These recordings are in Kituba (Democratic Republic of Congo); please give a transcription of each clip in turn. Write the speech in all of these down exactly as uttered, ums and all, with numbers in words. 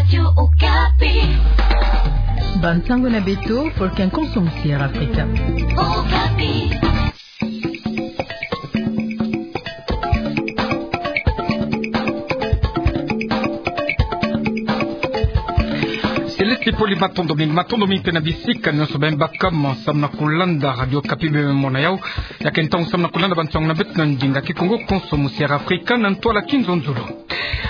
Radio Okapi. Bansango na beto, pour qu'un consommateur africain. Okapi. Céleste Poli, matondo mingi, matondo mingi mpe na bisika nyonso beno bakama, samu na kulanda Radio Okapi beno me mona yawu. Ya ke ntangu samu na kulanda bansango na beto na ndinga Kikongo, Konso Musiera Afrika na ntwala Kinzonzolo.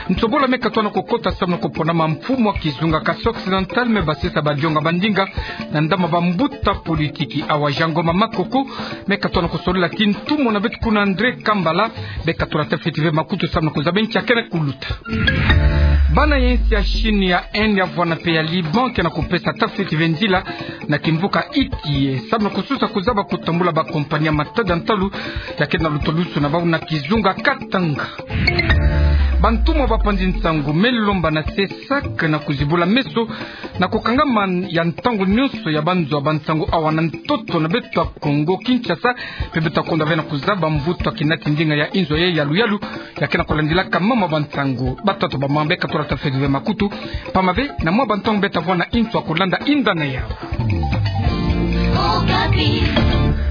Ntobola me katoa na kokota samu na koponama mfumu wa kizunga Kasai Occidental me basisa badionga ba ndinga na ndama bambuta politiki. Awa Jean Ngoma Makoko me katoa na kosolola ti ntumwa na beto kuna André Kambala, me katola tafiti ve makutu samu na kozaba nki ya kena kuluta. Bana ya insi ya Chine, ya Inde, ya vwanda mpe ya Liban ke na kopesa tafiti ve nzila na kimvuka Itié samu na kosusa kozaba kotambula bakompani ya matada ntalu ya kena lutulusu na bawu na kizunga Katanga. Bantumwa bapanzi nsangu me lomba na CESAC na kozibula meso na kokangama ya ntangu nyonso ya banzo ya bansangu awa na ntoto na beto ya Kongo Kinshasa, mpe beto kondwa ve na kozaba mvutu ya kinati ndinga ya inzo ya yalu-yalu ya kena kolandilaka mama bansangu. Batata bamama, be katola tafiti ve makutu, pamba ve na mwa bantangu beto vwanda na inzo ya kolanda inda na yawu.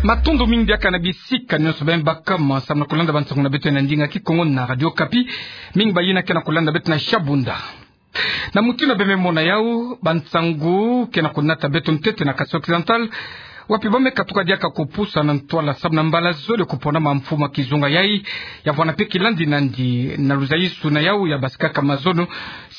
Matondo mingi biaka na bisika nyonso beno bakama samu na kolanda bansango na beto na ndinga Kikongo na Radio Okapi. Mingi bayina ke na kolanda beto na Shabunda. Na mutindu beno me mona yawu, bansangu ke na konata beto ntete na Kasai Occidental, wapi ba me katuka diaka kopusa na ntwala samu na mbala zole koponama mfumu wa kizunga yai, ya vwanda mpe kilandi nandi na luzayisu na yawu ya basikaka mazono.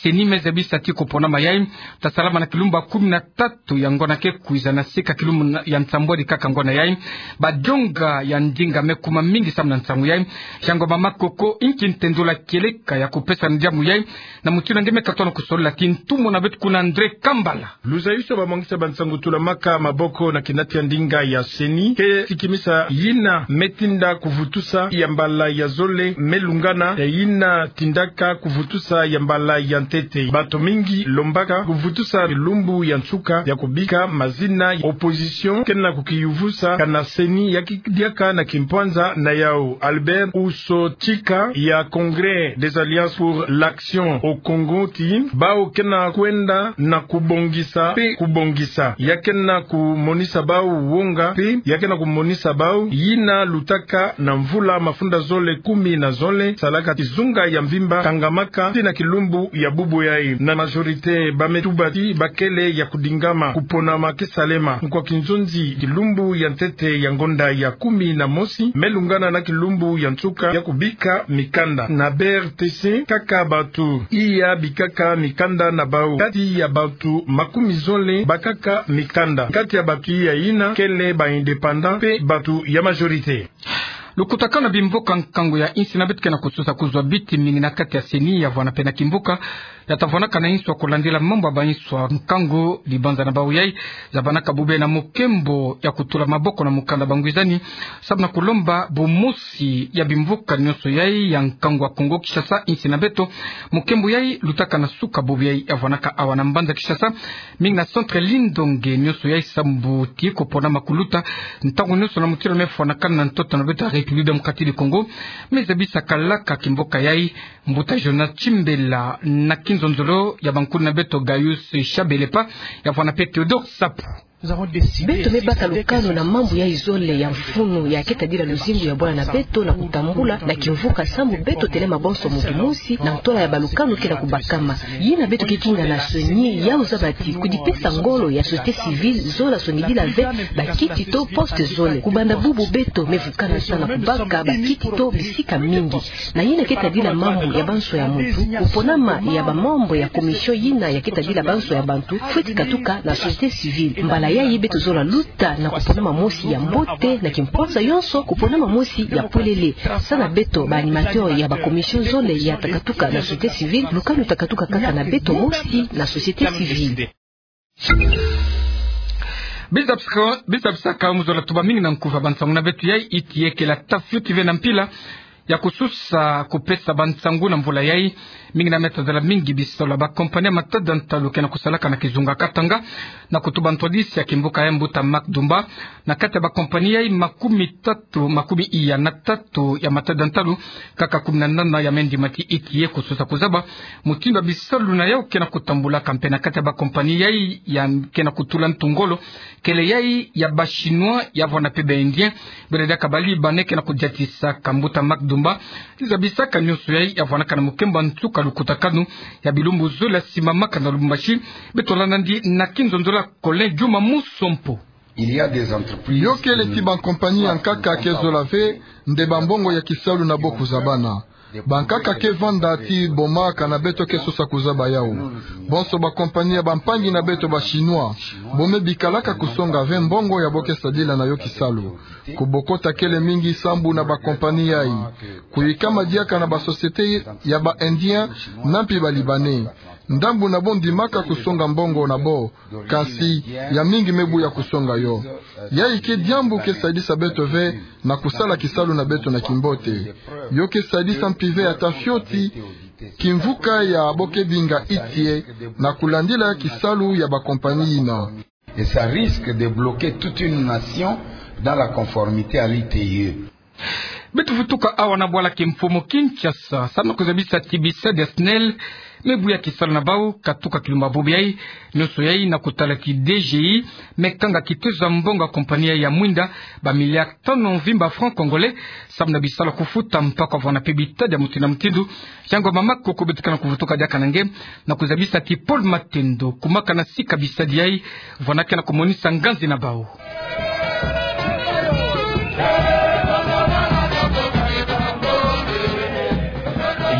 CENI me zabisa ti koponama yai ta salama na kilumbu ya kumi na tatu ya ngonda ke kwiza, na sika kilumbu na, ya nsambwadi kaka ngonda yai. Badionga ya ndinga me kuma mingi samu na nsangu yai. Jean Ngoma Makoko, inki ntendola kieleka ya kopesa ndiamu yai, na mutindu nge me katoa na kosolola ti ntumwa na beto kuna André Kambala? Luzayisu ya bamwangisa bansangu tulamaka maboko na kinati ya ndinga ya CENI ke sikimisa yina me tinda kuvutusa ya mbala ya zole me lungana ya yina tindaka kuvutusa ya mbala ya ntete. Bato mingi lombaka kuvutusa kilumbu ya nsuka ya kobika mazina. Opposition ke na kukiyuvusa kana CENI yaki diaka na kimpwanza na yawu. Albert Uso Chika ya Congrès des Alliances pour l'Action au Congo ti bawu ke na kwenda na kubongisa mpe kubongisa. Ya ke na kumonisa bawu wonga mpe ya ke na kumonisa bawu yina lutaka na mvula mafunda zole kumi na zole, salaka kizunga ya mvimba kangamaka tii na kilumbu ya bubu yai. Na majorité ba me tuba ti bakele ya kudingama kuponama ke salema nkwa kinzonzi kilumbu ya ntete ya ngonda ya kumi na mosi me lungana na kilumbu ya nsuka ya kubika mikanda. Na B R T C kaka bato iya bikaka mikanda na bawu. Kati ya bato makumi zole bakaka mikanda. Kati ya bato iya yina kele ba indépendants mpe bato ya majorité. Lukutakanu na bimvuka nkangu ya insi na beto ke na kosusa kozwa biti mingi na kati ya CENI ya vwanda mpe na kimvuka ya ta vwandaka na inso ya kolandila mambu ya bainso ya nkangu. Libanza na bawu yai zabanaka bobo na mukembo ya kutula maboko na mukanda bangwizani samu na kulomba bumosi ya bimvuka nyonso yai ya nkangu ya Kongo Kinshasa, insi na beto. Mukembo yai lutaka na suka bobo yai ya vwandaka awa na mbanza Kinshasa, mingi na centre Lindonge, nyonso yai samu ti koponama kuluta ntangu nyonso na mutindu me fwanakana na ntoto na beto ya République Démocratique du Congo. Me zabisa kalaka kimvuka yai mbuta Jonas Chimbela na kinzonzolo ya bankulu na beto Gaius Shabelepa ya vwanda mpe Théodore Sapu. Beto me baka lukanu na mambu yai zole ya mfunu ya ke tadila luzingu ya bwana na beto na kutambula na kimvuka samu beto telema bonso mutu mosi na ntwala ya balukanu ke na kubakama. Yina beto ke kinga na CENI yawu zaba ti kudipesa ngolo ya société civile zola sonidila ve bakiti to poste zole. Kubanda bubu beto me vukana sa na kubaka bakiti to bisika mingi. Na yina ke tadila mambu ya banso ya mutu, kuponama ya bamembre ya commission yina ya ke tadila banso ya bantu fweti katuka na société civile. Mbala yai beto zola luta na kuponama mosi ya mbote na kimpwanza yonso, kuponama mosi ya polele. Sa na beto ba animateur ya ba commission zole ya ta katuka na société civile, lukanu ta katuka kaka na beto mosi na société civile. Bizabisaka, bizabisaka, mu zola tuba mingi na nkufi ya bansangu na beto yai, iti yekela tafioti ve na mpila. ya kusosa kupesa bansangu na mvula yai. Mingi na meta zala mingi bisalu ya bakompani ya matada ntalu ke na kusalaka na kizunga Katanga, na kutuba ntwadisi ya kimvuka ya mbuta Marc Dumba. Na kati ya bakompani yai makumi tatu, makumi iya na tatu ya matada ntalu, kaka kumi na nana ya me ndimati inki ye kusosa kuzaba mutindu ya bisalu na yau ke na kutambulaka. Mpe na kati ya bakompani yai ya ke na kutula ntu ngolo, kele yai ya ba Chinois, ya vwanda mpe ba Indien, bwela diaka ba Libanais ke na kudiatisa. Ka mbuta Marc Dumba, ti zabisaka nionso yai ya vwandaka na mukemba nsuka lukutakanu ya bilumbu zole ya simamaka na Lubumbashi. Beto landa yandi na kinzonzolo ya Colin Djuma Musompo. Il y a des entreprises. Yo kele ti bakompani ya nkaka ke zola ve nde bambongo ya kisalu na bo kuzabana. Bankaka ke vanda ti boma kana beto ke sosa kuzaba yau. Bonso bakompani ya bampangi na beto ba Chinois, bo me bikalaka kusonga ve mbongo ya bo ke sadila na yo kisalu. Kubokota kele mingi sambu na bakompani yai. Kuyikama diaka na ba société ya ba Indien na mpi ba Libanais. Ndambu na bo ndimaka kusonga mbongo na bo, kasi ya mingi me buya kusonga yo. Yai ke diambu ke sadisa beto ve na kusala kisalu na beto na kimbote. Yo ke sadisa mpi ve ata fioti kimvuka ya bo ke binga I T I E na kulandila kisalu ya bakompani yina. Et ça risque de bloquer toute une nation dans la conformité à l'I T I E. Beto vutuka awa na bwala kimfumu Kinshasa, samu na kuzabisa ti bisadi ya SNEL me buya kisalu na bau katuka kilumbu bubu yai. Nionso yai na kutala ti D G I me kanga kitezo ya mbongo ya kompani yai ya mwinda ba milliards tanu mvimba francs congolais, samu na bisalu ya kufuta mpaku ya vwanda mpe bitadi ya mutindu na mutindu. Yango mama koko beto ke na kuvutuka diaka na nge na kuzabisa ti Paul Matendo, kumaka na sika bisadi yai, vwanda ke na kumonisa nganzi na bau.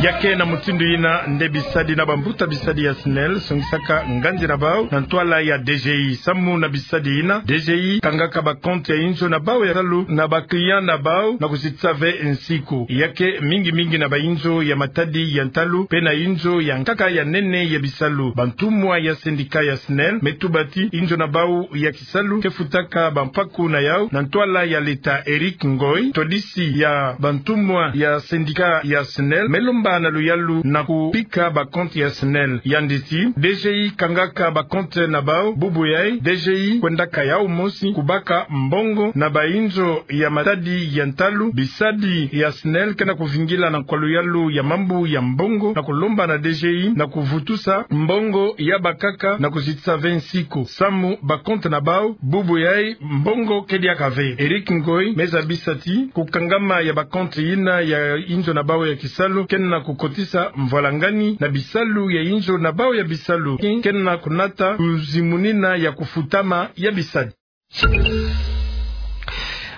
Ya ke na mutindu yina nde bisadi na bambuta bisadi ya SNEL songisaka nganzi na bau na ntwala ya D G I. Samu na bisadi yina, D G I kangaka ba compte ya inzo na bau ya ntalu na ba client na bau na kuzitisa ve nsiku. Ya ke mingi mingi na ba inzo ya matadi ya ntalu, mpe na inzo ya nkaka ya nene ya bisalu. Bantumwa ya syndicat ya SNEL me tuba ti inzo na bau ya kisalu ke futaka bampaku na yau na ntwala ya l'État. Eric Ngoy, ntwadisi ya bantumwa ya syndicat ya SNEL, me lomba na luyalu na kubika ba compte ya SNEL. Yandi ti D G I kangaka ba compte na bau, bubu yai D G I kwendaka yau mosi kubaka mbongo na ba inzo ya matadi ya ntalu. Bisadi ya SNEL ke na kuvingila na nkwa luyalu ya mambu ya mbongo na kulomba na D G I na kuvutusa mbongo ya bankaka na kuzitisa ve nsiku, samu ba compte na bau bubu yai mbongo ke diaka ve. Eric Ngoy me zabisa ti kukangama ya ba compte yina ya inzo na bau ya kisalu ke na kukotisa mvwalangani na bisalu ya inzo na bau ya bisalu, ke na kunata kuzimunina ya kufutama ya bisadi.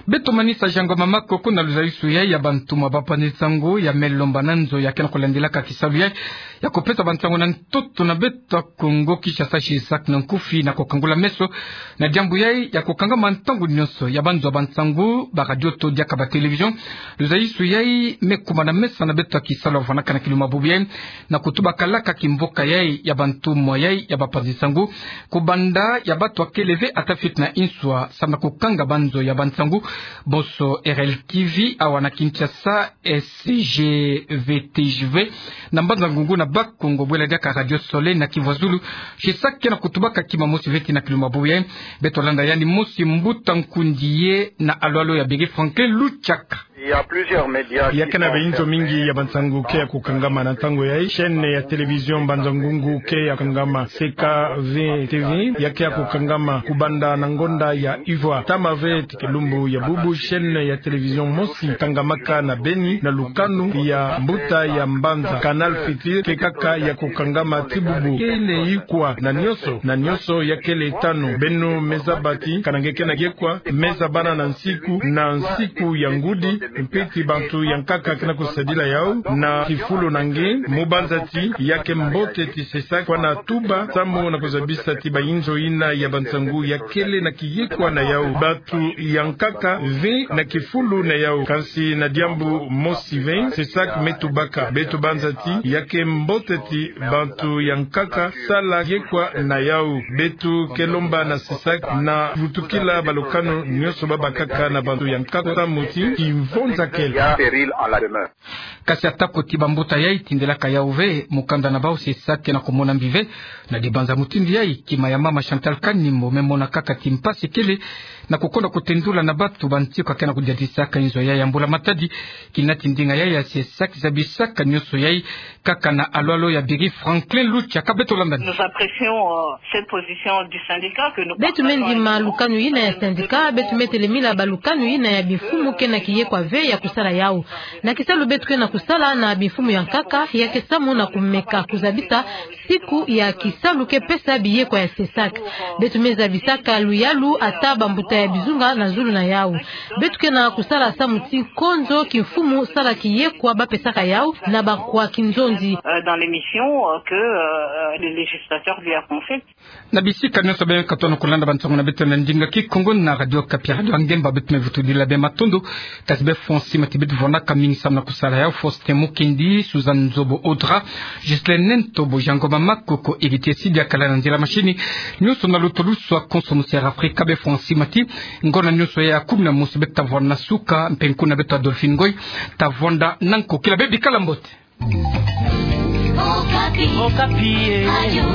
Beto manisa yango mama koko na luzalisu yai ya bantumwa bapanzi nsangu ya me lomba na nzo ya ke na kulandilaka kisalu yai ya kupesa bansangu na ntoto na beto ya Kongo Kinshasa, Shisak na nkufi, na kukangula meso na diambu yai ya kukangama ntangu nionso ya banzo ya bansangu, ba radio to diaka ba télévision. Luzalisu yai me kuma na mesa na beto ya kisalu ya vwandaka na kilumbu bubu yai, na kutubakalaka kimvuka yai ya bantumwa yai ya bapanzi nsangu, kubanda ya bato ya kele ve ata fioti na inswa, samu na kukanga banzo ya bansangu. Bonso R L T V awa na Kinshasa, S G V T G V na Mbanza Ngungu na Bas-Congo, bwela diaka Radio Soleil na Kivu ya Zulu. Shisak ke na kutubaka kima mosi ve tii na kilumbu bubu yai. Beto landa yandi mosi mbuta nkundi ye na alo-alo ya beri Franklin Luchaka. Il y a plusieurs médias qui sont fermés. Ya ke na ba inzo mingi ya bansangu ke ya kukangama na ntangu yai. Chaîne ya télévision Mbanza Ngungu ke ya kukangama, C K V T V ya ke ya kukangama kubanda na ngonda ya ivwa. Tama ve tii kilumbu ya bubu chaîne ya télévision mosi kangamaka na Beni na lukanu ya mbuta ya Mbanza, Canal Futur, ke kaka ya kukangama tii bubu. Kele ikwa na nionso, na nionso ya kele tanu. Beno me zaba ti kana nge ke na yekwa, me zabana na nsiku, na nsiku ya ngudi, mpe ti bantu ya nkaka ke na kusadila yau na kifulu na nge, mu banza ti ya ke mbote ti Shisak kwa na tuba, samu na kuzabisa ti ba inzo yina ya bansangu ya kele na kiyekwa na yau. Bantu ya nkaka ve na kifulu na yau. Kansi na diambu mosi ve, Shisak me tubaka. Beto banza ti ya ke mbote ti bantu ya nkaka sala yekwa na yau. Beto ke lomba na Shisak na vutukila balukanu nionso ba bakaka na bantu ya nkaka, samu ti kimvu Périles en la demeure. Kasi atako ti bambuta yai tindelaka yau ve mukanda na bau CSAC ke na kumona mbi ve, na dibanza mutindu yai, kima ya mama Chantal Kanimbo me mona kaka ti mpasi kele na kukonda kutendula na batu banti kwa ke na kudiatisaka inzo yai ya mbula matadi. Kina ti ndinga yai ya CSAC zabisaka nionso yai kaka na alo-alo ya biri. Franklin Lucha ka beto landa ni. Nous apprécions, euh, cette position du syndicat que nous partageons. Beto me ndima lukanu yina ya syndicat, beto me telemila ba lukanu yina ya bimfumu ke na kiyekwa ve ya kusala yau. Na kisalu beto ke na kusala na bimfumu ya nkaka, ya ke samu na kumeka kuzabisa siku ya kisalu ke pesa biyekwa ya CSAC. Beto me zabisaka luyalu ata bambuta ya bizunga na zulu na yau. Beto ke na kusala samu ti konzo kimfumu sala kiyekwa ba pesaka yau na bakwa kinzonzi. Euh, dans les missions, euh, que, euh, le législateur lui a confiées. Na bisika nionso beno ke tona kulanda bansangu na beto na ndinga Kikongo na Radio Okapi, Radio ya ngemba, beto me vutudila beno matondo. Kasi beno fwa nsi mati, beto vwandaka mingi samu na kusala yau: Faustin Mukendi, Suzanne Nzobo Audra, Ghislaine Ntobo, Jean Ngoma Makoko, Héritier Sidi akala na nzila machine. Nionso na lutulusu a Konso Musi Air Africa, beno fwa nsi mati. Ngonda nionso ya kumi na mosi beto ta vwanda na suka, mpe nkuna beto Adolphine Ngoy ta vwanda na nkokila. Beno bikala mbote. Okapi. Okapi, eh.